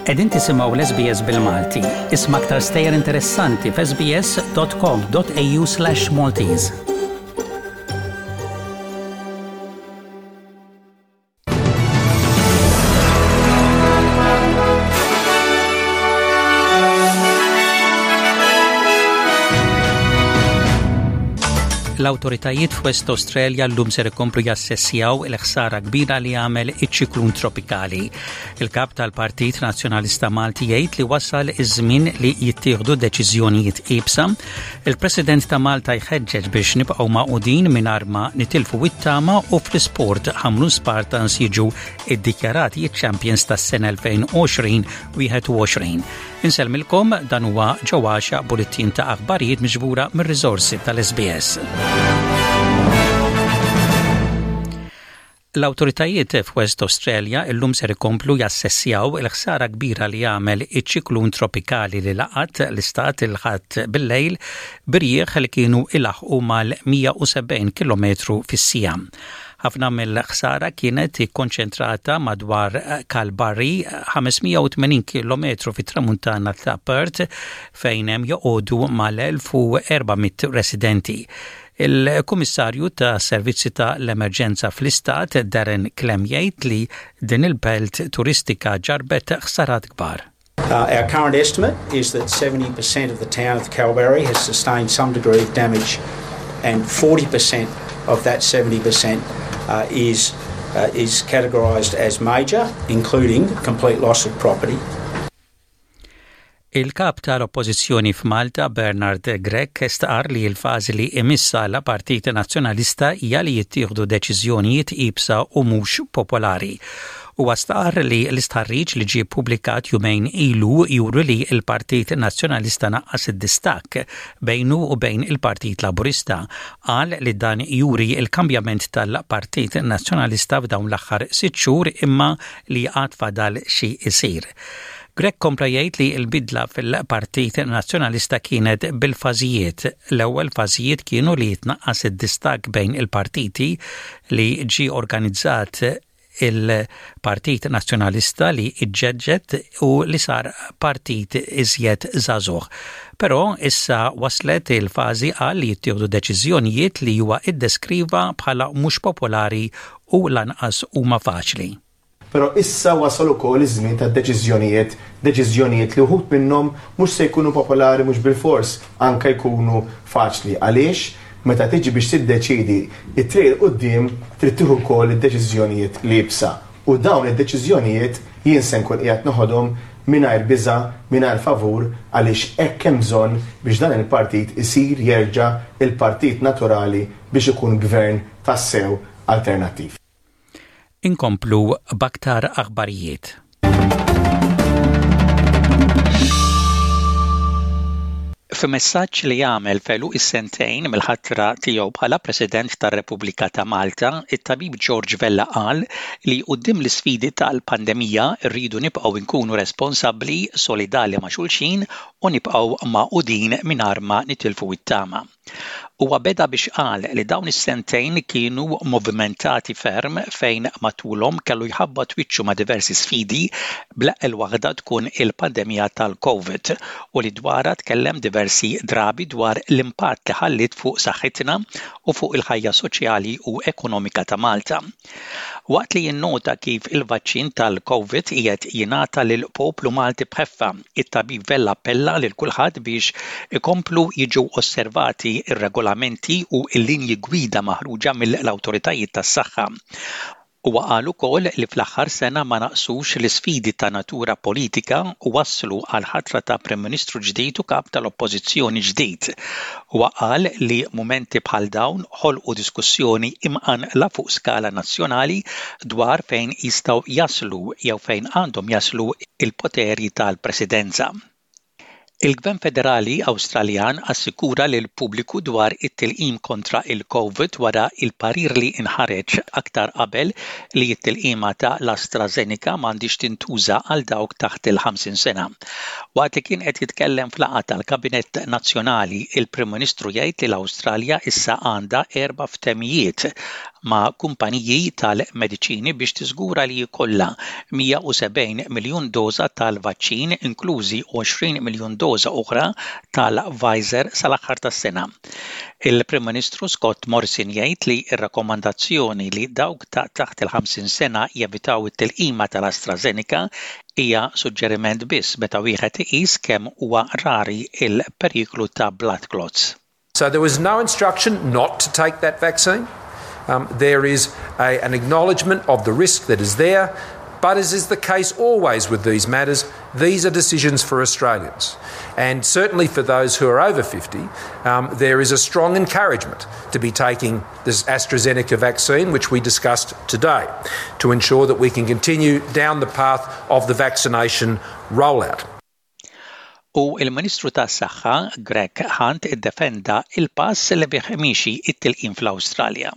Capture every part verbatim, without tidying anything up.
Qegħdin tisimgħu l-S B S bil-Malti. Isma' aktar stejjer interessanti f'S B S dot com dot A U slash Maltese. L-awtoritajiet f'West Australia llum ser ikomplu jassessjaw il-ħsara kbira li għamel iċ-ċiklun tropikali. Il-kap tal-Partit Nazzjonalista Malti jgħid li wasal iż-żmien li jittieħdu deċiżjonijiet iebsa. Il-President ta' Malta jħeġġeġ biex nibqgħu magħqudin mingħajr ma nitilfu it-tama u fl-isport, Ħamrun Spartans jiġu iddikjarati champions tas-sena elfejn u għoxrin. Insellmilkom, dan huwa ġewwaxa bulletin ta' aħbarijiet miġbura mir-riżorsi tal-S B S. L-awtoritajiet f'West Australia illum ser ikomplu jassessjaw il-ħsara kbira li għamel iċ-ċiklun tropikali li laqat l-istat il-Ħadd bil-lejl b'irjieħ li kienu ilaħqu mal-mija u sebgħin kilometru fis-siegħa. Ħafna mill-ħsara kienet ikkonċentrata madwar Kalbarri, ħames mija u tmenin kilometru fit-tramuntana ta' Perth, fejn hemm joqogħdu mal-elf u erba' mitt residenti. Il-Kummissarju ta' Servizzi ta' l-Emerġenza fl-Istat Darren Klemm jgħid li din il-belt turistika ġarbet ħsarat kbar. Uh, our current estimate is that seventy percent of the town of Kalbarri has sustained some degree of damage, and forty percent of that seventy percent uh, is, uh, is categorised as major, including complete loss of property. Il-kap tal-Oppożizzjoni f'Malta Bernard Grech stqar li l-fażi li imiss għall-Partit Nazzjonalista hija li jittieħdu deċiżjonijiet iebsa u mhux popolari. U stqar li l-istħarriġ li ġie publikat jumejn ilu juru li il-Partit Nazzjonalista naqqas id-distak bejnu u bejn il-Partit Laburista. Qal li dan juri il-kambjament tal-Partit Nazzjonalista f'dawn l-aħħar sitt xhur imma li għad fadal xi isir. Grech kompla jgħid li l-bidla fil-Partit Nazzjonalista kienet bil-fażijiet. L-ewwel fażijiet kienu li jitnaqqas id-distak bejn il-partiti, li ġi organizzat il-Partit Nazzjonalista li iġġedded u li sar partit iżjed żagħżugħ. Però issa waslet il-fażi għal li jittieħdu deċiżjonijiet li huwa iddeskriva bħala mhux popolari u lanqas huma faċli. Però issa wasal ukoll iż-żmien ta' deċiżjonijiet, deċiżjonijiet li wħud minnhom mhux se jkunu popolari, mhux bil-fors anke jkunu faċli. Għaliex meta tiġi biex tiddeċidi it-triq 'il quddiem, trid tieħu wkoll id-deċiżjonijiet l-iebsa. U dawn id-deċiżjonijiet jien se nkun qiegħed noħodhom mingħajr biża, mingħajr favur, għaliex hekk hemm bżonn biex dan il-partit isir jerġa' il-partit naturali biex ikun gvern tassew alternattiv. Inkomplu b'aktar aħbarijiet. F'messaġġ li għamel f'għeluq is-sentejn mill-ħatra tiegħu bħala President tar-Repubblika ta' Malta, it-tabib George Vella qal li quddiem l-isfidi tal-pandemija rridu nibqgħu nkunu responsabbli, solidali ma' xulxin u nibqgħu magħqudin mingħajr ma nitilfu it-tama. Huwa beda biex qal li dawn is-sentejn kienu movimentati ferm fejn matulhom kellu jħabbat wiċċu ma' diversi sfidi, bl-eqqel waħda tkun il-pandemija tal-COVID u li dwarha tkellem diversi drabi dwar l-impatt li ħallit fuq saħħitna u fuq il-ħajja soċjali u ekonomika ta' Malta. Waqt li jinnota kif il-vaċċin tal-COVID qiegħed jingħata lil poplu Malti bħeffa, it-tabib Vella appella lil kulħadd biex ikomplu jiġu osservati ir-regolamenti u l-linji gwida maħruġa mill-awtoritajiet tas-saħħa. Huwa qal ukoll li fl-aħħar sena ma naqsux l-isfidi ta' natura politika u waslu għal ħatra ta' Prim Ministru ġdid u kap tal-Oppożizzjoni ġdid. Huwa qal li mumenti bħal dawn ħolqu diskussjoni imqanqla fuq skala nazzjonali dwar fejn jistgħu jaslu jew fejn għandhom jaslu il-poteri tal-Presidenza. Il-Gvern Federali Awstraljan assikura lil pubbliku dwar it-tilqim kontra il-COVID wara il-parir li inħareġ aktar qabel li t-tilqima ta' l-AstraZeneca m'għandix tintuża għal dawk taħt il-ħamsin sena. Waqt li kien qed jitkellem f'laqgħa tal-Kabinett Nazzjonali, il-Prim Ministru jgħid li l-Awstralja issa għandha erba' ftehimiet ma' kumpaniji tal-mediċini biex tiżgura li jkollha mija u sebgħin miljun doża tal-vaċċin, inklużi għoxrin miljun doża oħra tal-Pfizer, sal-aħħar tas-sena. Il-Prim Ministru Scott Morrison jgħid li r-rakkomandazzjoni li dawk ta' taħt il-ħamsin sena jevitaw it-tilqima tal-AstraZeneca hija suġġeriment biss meta wieħed iqis kemm huwa rari il-periklu ta' blood clots. So there was no instruction not to take that vaccine. Um, there is a, an acknowledgement of the risk that is there, but as is the case always with these matters, these are decisions for Australians. And certainly for those who are over fifty, um, there is a strong encouragement to be taking this AstraZeneca vaccine, which we discussed today, to ensure that we can continue down the path of the vaccination rollout. U il-Ministru tas-Saħħa Greg Hunt iddefenda il-pass li bih miexi it-tilqim fl-Awstralja.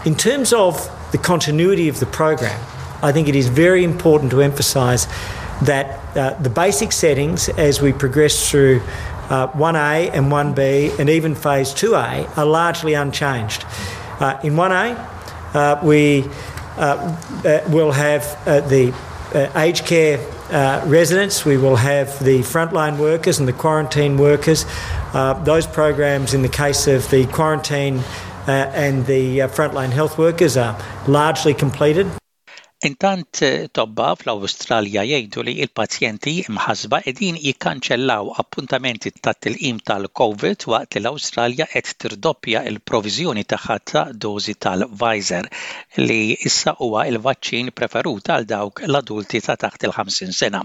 In terms of the continuity of the program, I think it is very important to emphasise that uh, the basic settings as we progress through uh, one A and one B and even phase two A are largely unchanged. Uh, in one A, uh, we uh, uh, will have the aged care residents, we will have the frontline workers and the quarantine workers. Those programs, in the case of the quarantine and the frontline health workers, are largely completed. Intant, tobba fl-Awstralja jgħidu li il-pazjenti imħasba qegħdin jikkanċellaw appuntamenti tat-tilqim tal-COVID waqt li l-Awstralja qed tirdoppja il-proviżjoni tagħha ta' dożi tal-Pfizer, li issa huwa il-vaċċin preferut għal dawk l-adulti ta' taħt il-ħamsin sena.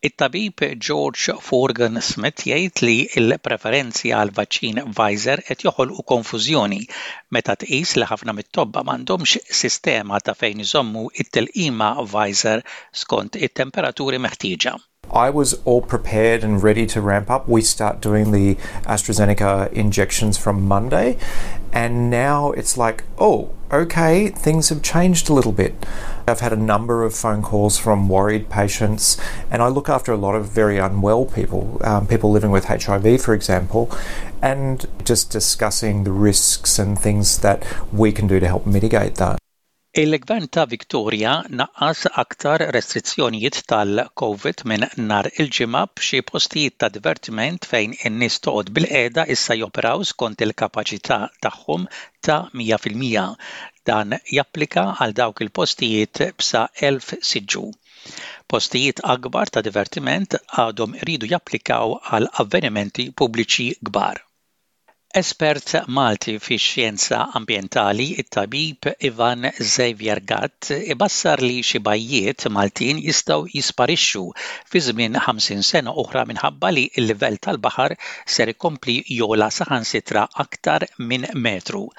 It-tabib George Forgan Smith jgħid li l-preferenzi għal vaċċin Pfizer qed joħolqu konfużjoni meta tqis li ħafna mit-tobba m'għandhomx sistema ta' fejn iżommu it-tilqima Pfizer skont it-temperaturi meħtieġa. I was all prepared and ready to ramp up. We start doing the AstraZeneca injections from Monday, and now it's like, oh, okay, things have changed a little bit. I've had a number of phone calls from worried patients, and I look after a lot of very unwell people, um, people living with H I V, for example, and just discussing the risks and things that we can do to help mitigate that. Il-Gvern ta' Victoria naqqas aktar restrizzjonijiet tal-COVID minn nhar il-Ġimgħa, b'xi postijiet ta' divertiment fejn in-nies toqgħod bilqiegħda issa joperaw skont il-kapaċità tagħhom ta' mija fil-mija. Dan japplika għal dawk il-postijiet b'sa elf siġġu. Postijiet akbar ta' divertiment għadhom iridu japplikaw għal avvenimenti pubbliċi kbar. Espert Malti fi xjenza ambjentali, it-tabib Ivan Xavier Gatt, ibassar li xi bajjiet Maltin jistgħu jisparixxu fi żmien ħamsin sena oħra minħabba li l-livell tal-baħar ser ikompli jogħla saħansitra aktar minn metru.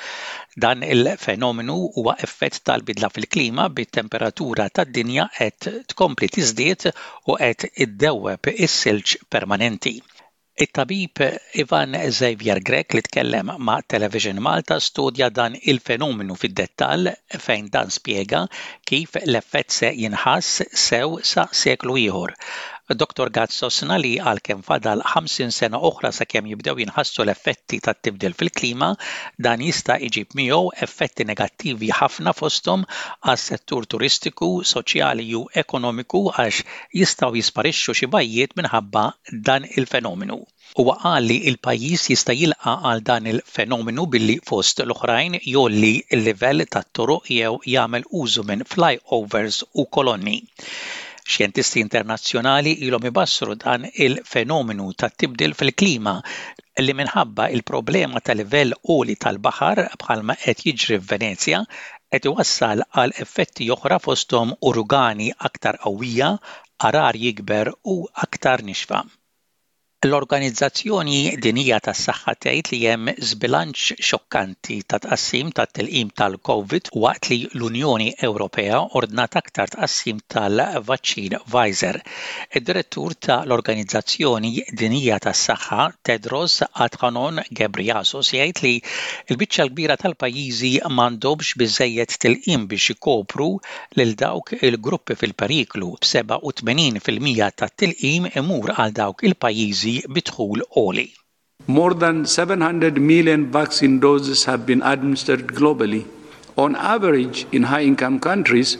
Dan il-fenomenu huwa effett tal-bidla fil-klima, bit-temperatura tad-dinja qed tkompli tiżdied u qed iddewweb is-silġ permanenti. It-tabib Ivan Xavier Grech, li tkellem ma' Television Malta, studja dan il-fenomenu fid-dettall, fejn dan spjega kif l-effett se jinħass sew sa seklu ieħor. Doktor Gatt sostna li għalkemm fadal ħamsin sena oħra sakemm jibdew jinħassu l-effetti tat-tibdil fil-klima, dan jista' iġib miegħu effetti negattivi ħafna, fosthom għas-settur turistiku, soċjali u ekonomiku, għax jistgħu jisparixxu xi bajjiet minħabba dan il-fenomenu. Huwa qal li l-pajjiż jista' jilqa' għal dan il-fenomenu billi, fost l-oħrajn, jgħolli l-livell tat-toroq jew jagħmel użu minn flyovers u kolonni. Xjentisti internazzjonali ilhom ibassru dan il-fenomenu ta' tibdil fil-klima li minħabba il-problema ta' livell għoli tal-baħar, bħalma qed jiġri f'Venezja, qed iwassal għal effetti oħra, fosthom uragani aktar qawwija, għargħar jikber u aktar nixfa. L-Organizzazzjoni Dinjija tas-Saħħa tgħid li hemm żbilanċ xokkanti ta' tqassim tat-tilqim tal-COVID waqt li l-Unjoni Ewropea ordnat aktar tqassim tal-vaċċin Pfizer. Id-direttur ta' l-Organizzazzjoni Dinjija tas-Saħħa, Tedros Adhanom Ghebreyesus, jgħid li l-biċċa l-kbira tal-pajjiżi m'għandhomx biżejjed tilqim biex ikopru lil dawk il-gruppi fil-periklu, b'sebgħa u tmenin fil-mija tat-tilqim imur għal dawk il-pajjiżi bi dħul għoli. More than seven hundred million vaccine doses have been administered globally. On average, in high income countries,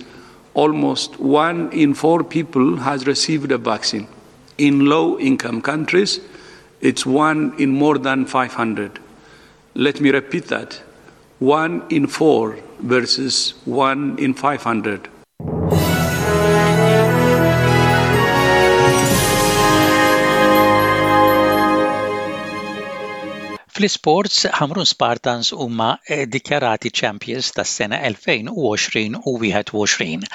almost one in four people has received a vaccine. In low income countries, it's one in more than five hundred. Let me repeat that: one in four versus one in five hundred. Fl-isports, Ħamrun Spartans huma dikjarati champions tas-sena elfejn u għoxrin u wieħed u għoxrin.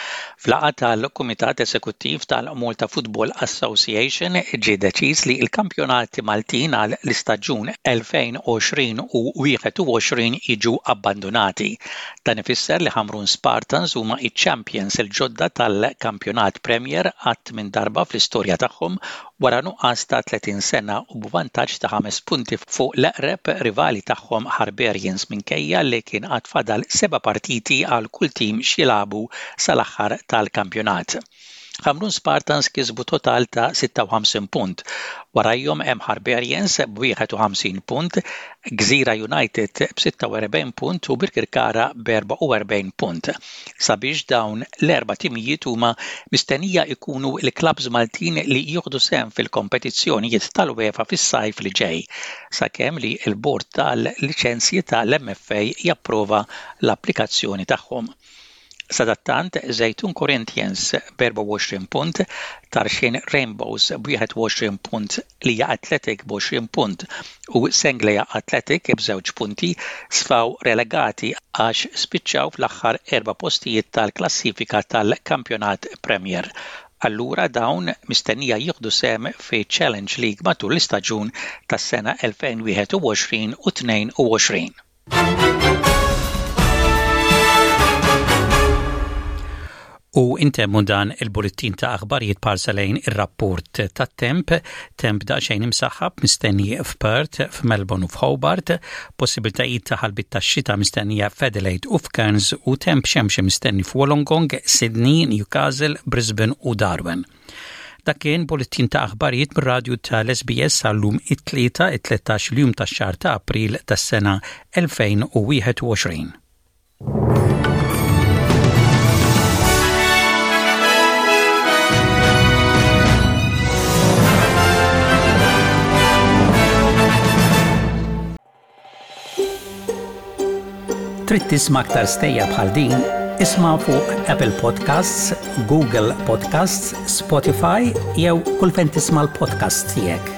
F'laqgħa tal-Kumitat Esekuttiv tal-Malta Football Association ġie deċiż li l-kampjonati Maltin għal l-istaġun elfejn u għoxrin u wieħed u għoxrin jiġu abbandonati. Dan ifisser li Ħamrun Spartans huma iċ-champions il-ġodda tal-kampjonat Premier għat-tmien darba fl-istorja tagħhom wara nuqqas ta' tletin sena u b'vantaġġ ta' ħames punti fuq l-eqreb rivali tagħhom Harbarians, minkejja li kien għad fadal seba' partiti għal kull tim x'jilagħbu sal-aħħar tal-kampjonat. Ħamrun Spartans kisbu total ta' sitta u ħamsin punt. Warajhom hemm Harbarians b'wieħed u ħamsin punt, Gżira United b'sitta u erbgħin punt u Birkirkara b'erbgħa u erbgħin punt. Sabiex dawn l-erba' timijiet huma mistennija ikunu l-klabs Maltin li jieħdu sehem fil-kompetizzjonijiet tal-UEFA fis-sajf li ġej, sakemm li l-bord tal-liċenzji tal-M F A japprova l-applikazzjoni tagħhom. Sadattant, Żejtun Corinthians b'erbgħa u għoxrin punt, Tarxien Rainbows b'wieħed u għoxrin punt, Lija Athletic b'għoxrin punt u Senglea Athletic b'żewġ punti sfaw relegati għax spiċċaw fl-aħħar erba' postijiet tal-klassifika tal-Kampjonat Premier. Allura dawn mistennija jieħdu sehem fi Challenge League matul l-istaġun tas-sena elfejn u wieħed u għoxrin u tnejn u għoxrin. U intemmu dan il-bullettin ta' aħbarijiet b'ħarsa lejn ir-rapport tat-temp, temp daqsxejn imsaħħab mistenni f'Perth, f'Melbourne u f'Hobart, possibiltajiet ta' ħalbit ta' xita mistennija f'Adelaide u f'Cairns u temp xemxi mistenni f'Wollongong, Sydney, Newcastle, Brisbane u Darwin. Dak kien bullettin ta' aħbarijiet mir-radju tal-S B S għal-lum it-tlieta it-tlettax il-jum tax-xahar ta' April tas-sena elfejn u wieħed u għoxrin. Trid tisma' aktar stejjer bħal din? Isma' fuq Apple Podcasts, Google Podcasts, Spotify jew kull fejn tisma' l-podcasts tiegħek.